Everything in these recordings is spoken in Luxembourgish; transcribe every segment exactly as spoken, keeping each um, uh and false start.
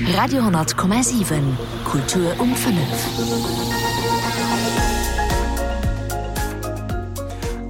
Radio honnert Komma siwen, Kultur um fënnef.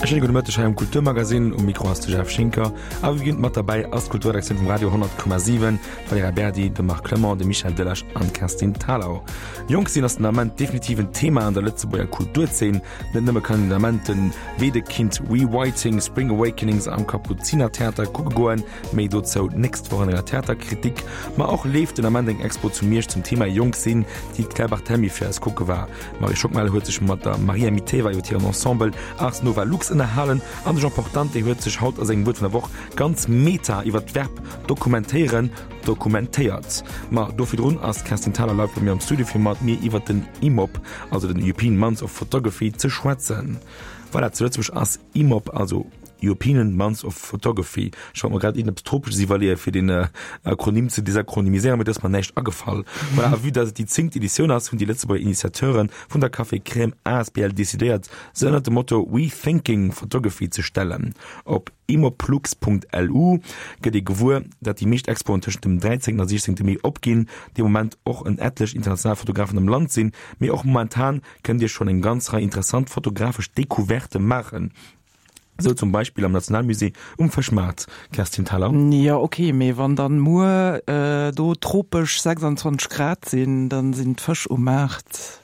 E schéine gudde Mëtteg hei am Kulturmagazin. Um Mikro ass de Jeff Schinker. A wéi gewinnt mat derbäi ass d'Kulturredaktioun vum Radio honnert Komma siwen, d'Valerija Berdi, de Marc Clement, de Michel Delage an d'Kerstin Thalau. Jonk sinn ass den Ament definitiv en Thema an der Lëtzebuerger Kulturzeen. Net nëmme kann een den Ament den Wedekind Rewriting Spring Awakenings am Kapuzinertheater kucke goen, méi dozou d'nächst Woch an enger Theaterkritik, ma och leeft den Ament eng Expo zu Miersch zum Thema Jonk sinn, déi d'Claire Barthelmy fir eis kucke war. D'Marie Schockmel huet sech mat der Maria Miteva iwwer hiren Ensemble Ars Nova Lux ënnerhalen an de Jean Portante huet sech haut a sengem Wuert vun der Woch ganz meta iwwer d'Verb dokumentéieren dokumentéiert. Ma do virdrun ass d'Kerstin Thalau live bei mir am Studio fir mat mir iwwer den IMOP, also den European Month of Photography, ze schwätzen. Voilà, zu Lëtzebuerg ass IMOP, also European Month of Photography. Ech wollt mer grad iergendeppes Tropesches iwwerleeën, fir den Akronym ze desakronymiséieren, mee do ass mer näischt agefall. Voilà, a vue dass et déi zéngt Editioun ass, hunn déi Lëtzebuerger Initiateure vun der Café Crème asbl decidéiert, se ënnert dem Motto Rethinking Photography ze stellen. Op imoplux.lu gëtt ee gewuer, dat déi meescht Expoen tëschent dem dräizéngten a siechzéngte Mee opginn, dee Moment och en etlech international Fotografen am Land sinn, mee och momentan kënnt Dir schonn eng ganz Rei interessant fotografesch Decouverte maachen, esou zum Beispill am Nationalmusée um Fëschmaart. Kerstin Thalau. Jo ok, mee wann dann muer do tropesch sechsundzwanzeg Grad sinn, dann sinn d'Fësch um Maart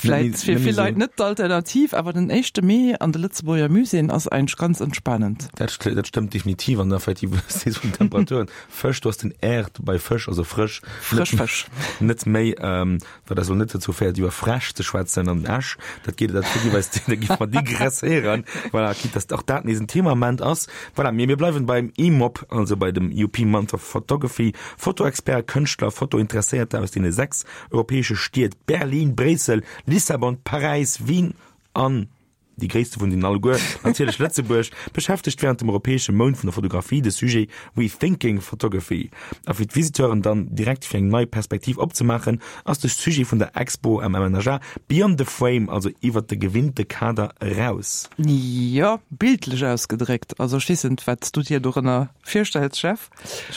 vläit fir vill Leit net d'Alternativ, awer den éischte Mee an de Lëtzebuerger Muséeën ass eigentlech ganz entspanend. Dat stëmmt definitiv an effektiv vun den Temperaturen. Fësch, do ass den R bei Fësch, also frësch, Frësch Fësch. net méi, wat eis elo net dozou féiert iwwer Fräsch ze schwätzen an Esch, dat geet, dat géif eis, da géife mer digresséieren, voilà, quitte dass och dat nees en Thema am Ament ass. Voilà, mee mir bleiwen beim IMOP, also bei dem European Month of Photography. Fotoexperten, Kënschtler, Fotointeresséierter aus deene sechs europäesche Stied Berlin, Bréissel, Lissabon, Paräis, Wien an déi gréisste vun deenen alleguer, natierlech Lëtzebuerg, beschäftegt wärend dem europäesche Mount vun der Fotografie de Sujet Rethinking Photography. A fir d'Visiteuren dann direkt fir eng nei Perspektiv opzemaachen, ass de Sujet vun der Expo am M N H A Beyond the Frame, also iwwert de gewinnte Kader eraus. Jo, bildlech ausgedréckt. Also ech weess net, wat s du dir dorënner virstells, Jeff.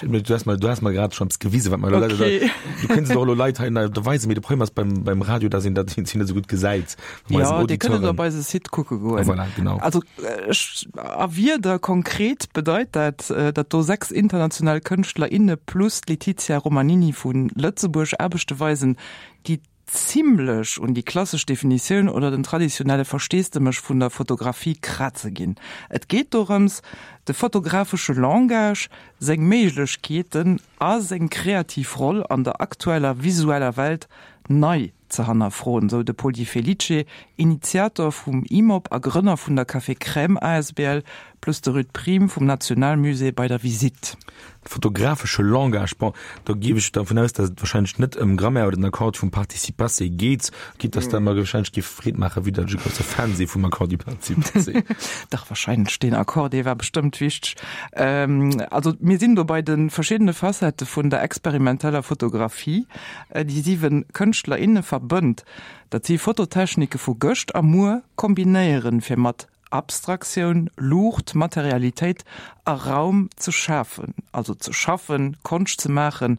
Du has mer, du has mer grad schon eppes gewisen, wat mer elo Okay. Du kënns et och elo Leit hei da weisen, mee de Problem ass beim, beim Radio, dass een dat net esou gutt gesäit. Jo, Dir kënnt et op eise Site kucke goen. Voilà, genau. Also ech, a Wierder konkret bedeit dat, datt do sechs international Kënschtler, inne plus d'Letizia Romanini vu Lëtzebuerg Aarbechte weisen, déi zimlech un déi klassesch Definitioun oder den traditionelle Versteesdemech vun der Fotografie kraze ginn. Et geet dorëms, de fotografesche Langage, seng Méiglechkeeten a seng kreativ Roll an der aktueller visueller Welt nei ze hannerfroen, sou de Paul Di Felice, Initiator vum IMOP a Grënner vun der Café Crème asbl, plus de Ruud Priem vum Nationalmusée bei der Visitt. Fotografesche Langage, bon, do géif ech dervun aus, datt et wahrscheinlech net ëm Grammaire oder den Akkord vum Participe passé geet, quitte datt dat mer wahrscheinlech géif Freed maachen, vue datt ech e grousse Fan si vum Accord du participe passé. Dach, wahrscheinlech, deen Akkord, dee war bestëmmt wichteg. Also mir sinn do bei de verschiddene Facettë vun der experimenteller Fotografie, déi siwe Kënschtler, inne verbënnt, datt si Fototechnike vu gëscht a muer kombinéieren, fir mat Abstraktioun, Luucht, Materialitéit a Raum ze schafen, also ze schaffen, Konscht ze maachen,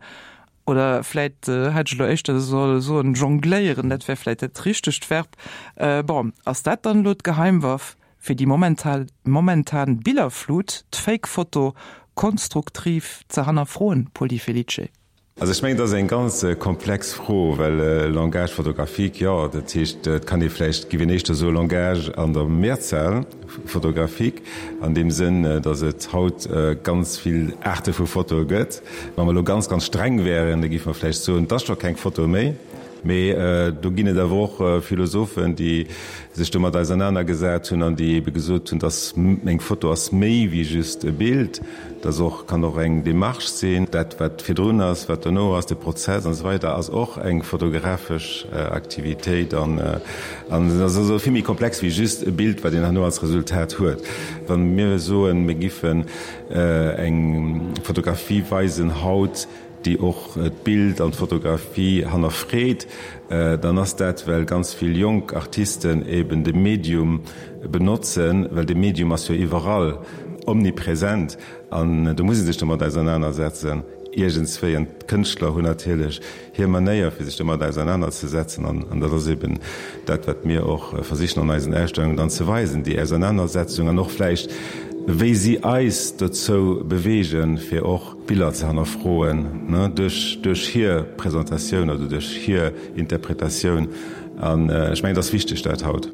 oder vläit hätt ech elo éischter solle soen jongléieren, dat wär vläit dat richtegt Verb. Bon, ass dat dann elo d'Geheimwaff, fir déi momental momentan Billerflut, d'Fake-Foto, konstruktiv ze hannerfroen, Paul Di Felice? Also ech mengen, dat ass eng ganz komplex Fro, well Langage photographique, jo, dat heescht, et kann ee vläicht, géif een éischter soe Langage an der Mehrzahl photographique, an deem Sënn, datt et haut ganz vill Aarte vu Fotoe gëtt. Wa mer elo ganz, ganz streng wären, da géife mer vläicht soen, et ass scho keng Foto méi. Mee do ginn et awer och Philosophen, déi sech domat ausernanergesat hunn an déi ebe gesot hunn, dass eng Foto ass méi wéi just e Bild, dass och, kann och eng Démarche sinn. Dat wat virdrun ass, wat dono ass, de Prozess an esou weider ass och eng fotografesch Aktivitéit an an et ass also vill méi komplex wéi just e Bild, wat een herno als Resultat huet. Wa mir soen, mir giffen eng Fotografie weisen haut, déi och d'Bild an d'Fotografie hannerfreet, dann ass dat, well ganz vill jonk Artisten eben de Medium benotzen, well de Medium ass jo iwwerall, omnipresent, an do muss ee sech domat ausernanersetzen. Iergendswéi. An d'Kënschtler hunn natierlech hir Manéier, fir sech domat ausernanerzesetzen. An dat ass eben dat, wat mir och versichen an eisen Ausstellungen dann ze weisen, déi Ausernanersetzung an och vläicht, wéi si eis dozou beweegen, fir och Biller ze hannerfroen, duerch, duerch hir Presentatioun oder duerch hir Interpretatioun. An ech mengen, et ass wichteg dat haut.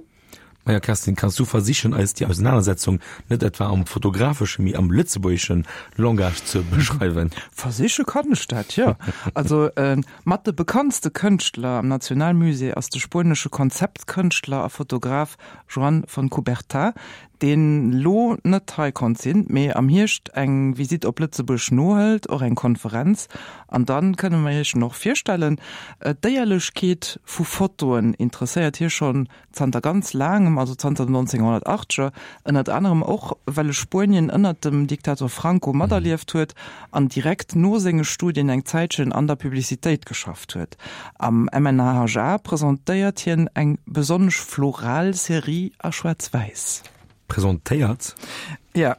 Maja, Kerstin, kanns du versichen, eis déi Ausenanersetzung net etwa am fotografesche, mee am lëtzebuergesche Langage ze beschreiwen? Versiche kann ech dat, jo. Also mat de bekanntste Kënschtler am Nationalmusée ass de spuenesche Konzeptkënschtler a Fotograf Joan Fontcuberta, deen lo net hei konnt sinn, mee am Hierscht eng Visitt op Lëtzebuerg nohëlt, och eng Konferenz. An dann kënne mer iech en och virstellen. D'Éierlechkeet vu Fotoen interesséiert hie schonn zanter ganz laangem, also zanter den nonzénghonnertachteger, ënnert anerem och well e Spuenien ënnert dem Diktator Franco materlieft huet an direkt no senge Studien eng Zäitchen an der Publicitéit geschafft huet. Am M N H H A presentéiert hien eng besonnesch floral Serie a Schwaarz-Wäiss. Presentéiert? Ja,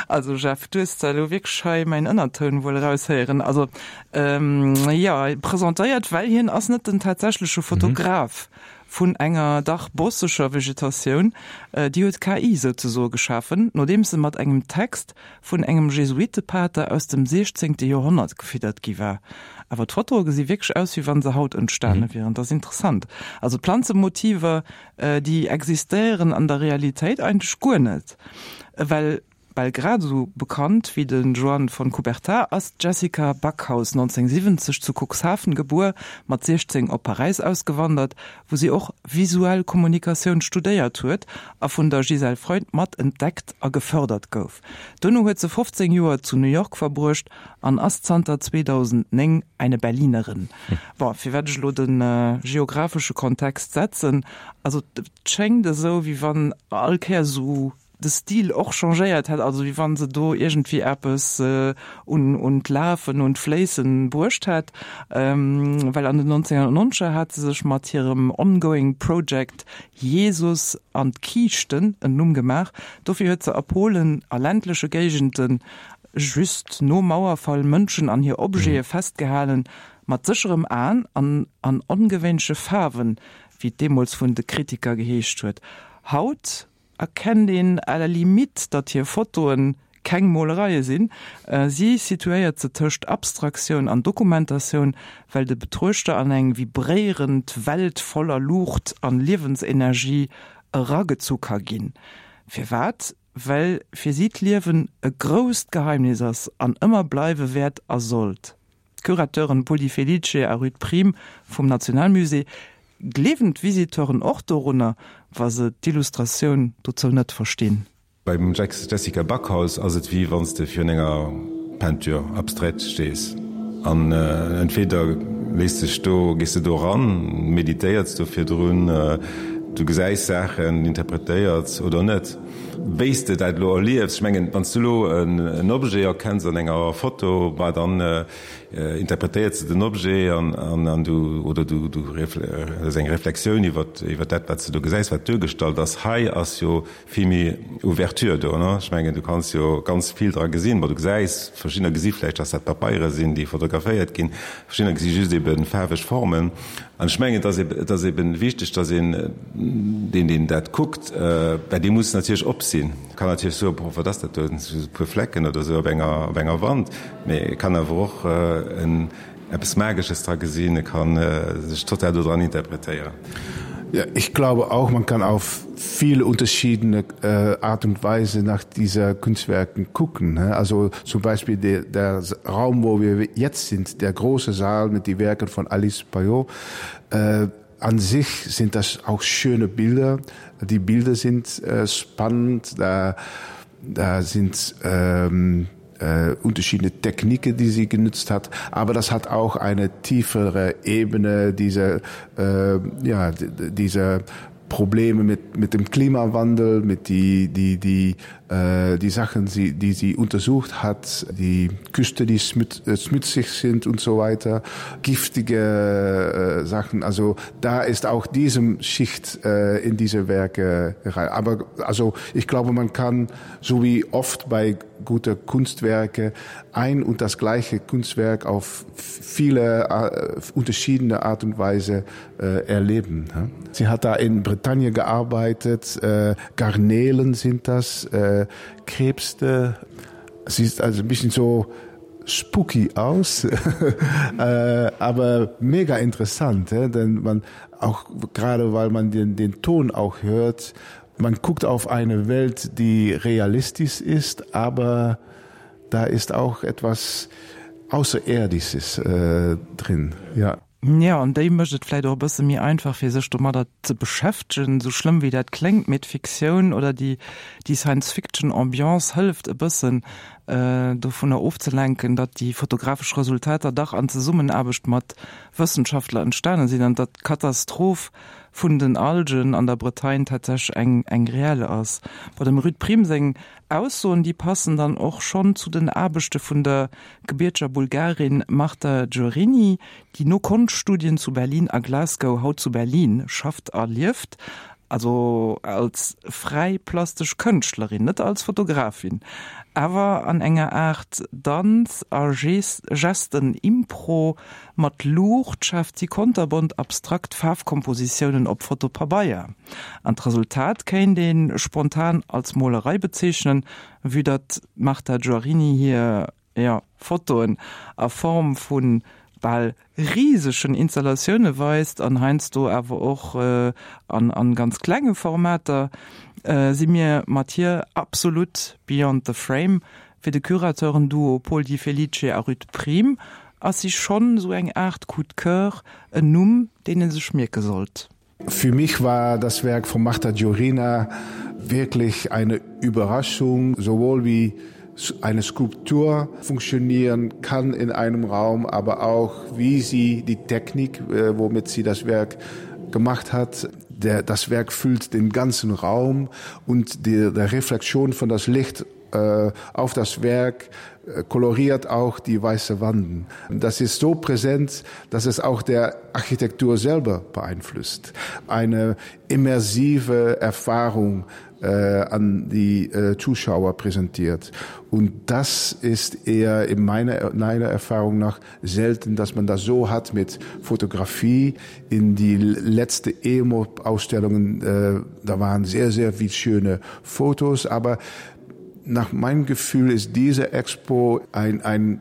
also Jeff, du hues da elo wierklech hei mäin Ënnertoun wuel eraushéieren. Also ähm, ja, presentéiert, well hien ass net den tatsächleche Fotograf vun enger dach bosseger Vegetatioun. Déi huet d'K I souzesoe geschafen, nodeems se mat engem Text vun engem Jesuitepater aus dem siechzéngte Joerhonnert gefiddert gi war. Awer d'Fotoe gesi wierklech aus, wéi wa se haut entstane wieren. Dat ass interessant. Also d'Planzemotiver, déi existéieren an der Realitéit eigentlech guer net, well bal grad esou bekannt wéi de Joan Fontcuberta ass d'Jessica Backhaus, nonzénghonnertsiwwenzeg zu Cuxhaven gebuer, mat siechzéng op Paräis ausgewandert, wou si och visuell Kommunikatioun studéiert huet a vun der Gisèle Freund mat entdeckt a gefërdert gouf. Dono huet se fofzéng Joer zu New York verbruecht an ass zanter zweedausendnéng eine Berlinerin. Bon, firwat ech elo de geografesche Kontext setzen, also et schéngt esou, wéi wann all Kéier esou de Stil och changéiert hätt, also wéi wann se do iergendwéi eppes un un d'Lafen, un d'Fléissen bruecht hätt, well an den nonzénghonnertnonzeger hat se sech mat hirem ongoing Project Jesus an d'Kiischten en Numm gemaach. Dofir huet se a Polen a ländleche Géigenden just nom Mauerfall Mënschen an hir Objete festgehalen, mat sécherem Aen an an ongewéinleche Faarwen, wéi et deemools vun de Kritiker geheescht huet. Haut erkennt een à la limite, datt hir Fotoen keng Molereie sinn. Si situéiert se tëscht Abstraktioun an Dokumentatioun, well de Betruechter an eng vibréierend Welt voller Luucht an Liewensenergie eragezu ka ginn. Firwat? Well fir si d'Liewen e grousst Geheimnis ass an ëmmer bleiwe wäert a sollt. D'Curateuren Pol Di Felice a Ruth Prim vum Nationalmusée gleewen d'Visiteuren och dorunner, wa se d'Illustratioun dozou net verstinn. Beim Jessica Backhaus ass et wéi wann s de virun enger Peinture abstraite stees an entweder léiss dech do, gees de do eran, meditéiers do virdrun, du gesäis Saachen, interpretéiers oder net. Wéi s de dat elo erliefs, ech mengen, wann s du elo en Objet erkenns an enger Foto, bah dann interpretéiers de den Objet an an du oder du du hues eng Reflexioun iwwer iwwer dat, wat s de do gesäis, wat duergestallt ass. Hei ass jo vill méi Ouverture do, ne? Ech mengen, du kanns jo ganz vill dra gesinn. Bon, du gesäis, verschiddener gesi vläicht, dass dat Papeiere sinn, déi fotograféiert ginn, verschiddener gesi just ebe faarweg Formen. An ech mengen, et ass ebe, et ass ebe wichteg, dass een, deen, deen dat kuckt, well dee muss natierlech op sinn, kann natierlech soen, Boah, wat ass dat do, dat si just e puer Flecken oder esou op enger, op enger Wand. Mee e kann awer och en eppes Magesches dra gesinn, e kann sech total dodran interpretéieren. Ja, ich glaube auch, man kann auf viele unterschiedene äh, Art und Weise nach dieser Kunstwerken gucken. Ne? Also zum Beispiel der, der Raum, wo wir jetzt sind, der große Saal mit die Werken von Alice Payot, äh, an sich sind das auch schöne Bilder. Die Bilder sind äh, spannend, da, da sind ähm, äh, unterschiedene Techniken, die sie genutzt hat. Aber das hat auch eine tiefere Ebene, diese, äh, ja, diese Probleme mit, mit dem Klimawandel, mit die, die, die Äh, die Sachen, die, die sie untersucht hat, die Küste, die äh, schmutzig sind und so weiter, giftige äh, Sachen. Also da ist auch diesem Schicht äh, in diese Werke rein. Aber also ich glaube, man kann so wie oft bei guter Kunstwerke ein und das gleiche Kunstwerk auf viele äh, unterschiedene Art und Weise äh, erleben. Ne? Sie hat da in Bretagne gearbeitet, äh, Garnelen sind das, äh, Krebste. Sie ist also ein bisschen so spooky aus, äh, aber mega interessant, he? denn man auch gerade weil man den, den Ton auch hört, man guckt auf eine Welt, die realistisch ist, aber da ist auch etwas Außerirdisches äh, drin. Ja. Ja, an déi mécht et vläicht och e bësse méi einfach, fir sech domadder ze beschäftegen, sou schlëmm wéi dat kléngt, mee d'Fiktioun oder déi, déi Science-Fiction-Ambiance hëlleft e bëssen, dovunner ofzelenken, datt déi fotografesch Resultater dach an Zesummenaarbecht mat Wëssenschaftler entstane sinn an datt d'Katastroph vun den Algen an der Bretagne tatsächlech eng, eng reell ass. Bei dem Ruud Priem seng Aussoen, déi passen dann och schonn zu den Aarbechte vun der gebierteger Bulgarin Marta Giorini, déi no Konschtstudien zu Berlin a Glasgow haut zu Berlin schafft a lieft, also als fräi plastesch Kënschtlerin, net als Fotografin, awer an enger Aart Danz a Gesten-Impro mat Luucht schaaft si konterbont abstrakt Faarfkompositiounen op Fotopabeier. An d'Resultat kéint ee spontan als Molerei bezeechnen, vue datt d'Marta Giorini hir, jo, Fotoen a Form vu bal risegen Installatioune weist an heiansdo awer och an ganz klenge Formater, si mir mat hir absolut beyond the frame. Fir de Curateuren-Duo Paul Di Felice a Ruth Prim ass si schonn esou eng Aart Coup de coeur, en Numm, deen ee sech mierke sollt. Für mich war das Werk von Marta Giorina wirklich eine Überraschung, sowohl wie eine Skulptur funktionieren kann in einem Raum, aber auch wie sie die Technik, äh, womit sie das Werk gemacht hat. Der, das Werk füllt den ganzen Raum und die, der Reflexion von das Licht äh, auf das Werk äh, koloriert auch die weiße Wanden. Das ist so präsent, dass es auch der Architektur selber beeinflusst. Eine immersive Erfahrung äh, an die äh, Zuschauer präsentiert. Und das ist eher in meiner, meiner Erfahrung nach selten, dass man das so hat mit Fotografie. In die letzte EMO-Ausstellungen, äh, da waren sehr, sehr viel schöne Fotos, aber nach meinem Gefühl ist diese Expo ein, ein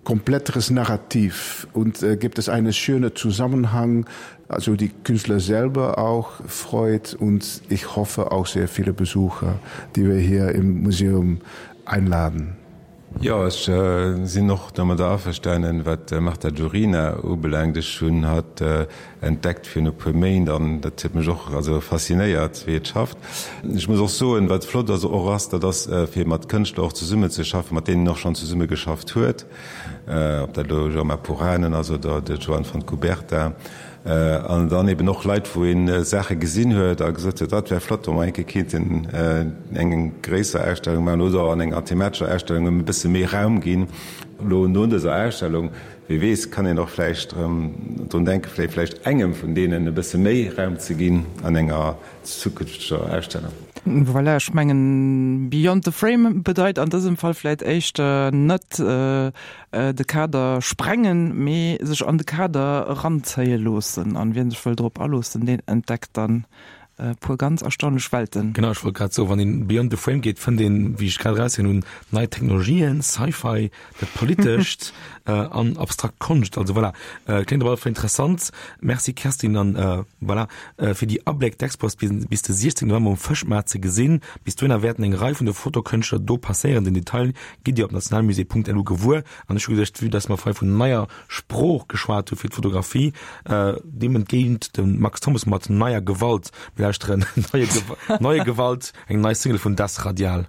kompletteres Narrativ und äh, gibt es einen schönen Zusammenhang, also die Künstler selber auch freut und ich hoffe auch sehr viele Besucher, die wir hier im Museum einladen. Jo, ech sinn och domadder averstanen, wat d'Marta Giorina ubelaangt. Ech hunn hatt entdeckt virun e puer Méint an dat huet mech och also faszinéiert, wéi et schafft. Ech muss och soen, wat flott ass och ass, dat ass fir mat Kënschtler och zesummenzeschaffen, mat deenen een och schonn zesummegeschafft huet, ob dat elo Jorma Puranen ass oder de Joan Fontcuberta. An dann eben och Leit, wou een Saache gesinn huet a gesot huet, dat wär flott, wa mer eng Kéier kéinten eng gréisser Ausstellung maachen oder an enger thematescher Ausstellung ëm e bësse méi Raum ginn. Elo no dëser Ausstellung, wie weess, kann een och vläicht erëm drun denken, vläicht engem vun deenen e bësse méi Raum ze ginn an enger zukünfteger Ausstellung. Voilà, ech mengen, beyond the frame bedeit an dësem Fall vläit éischter net de Kader sprengen, mee sech an de Kader eranzéie loossen. An wien sech wëll drop aloossen, deen entdeckt dann e puer ganz erstaunlech Welten. Genau, ech wollt grad soen, wann een beyond the frame geet, fënnt een, wéi ech grad erausginn hunn, nei Technologien, Sci-Fi, dat Politescht an abstrakt Konscht. Also voilà, kléngt op alle Fall interessant. Merci Kerstin an voilà fir déi Abléck. D'Expo ass bis de siechzéngten November um Fëschmaart ze gesinn. Bis dohinner wäerten eng Rei vun de Fotokënschtler do passéieren. Den Detail gitt Dir op nationalmusée.lu gewuer. An ech hu geduecht, vue dass mer vorhi vun neier Sprooch geschwat hu fir d'Fotografie, deem entgéint de Max Thommes mat Neier Gewalt. Mir lauschteren Neue Gewalt, eng nei Single vun Das Radial.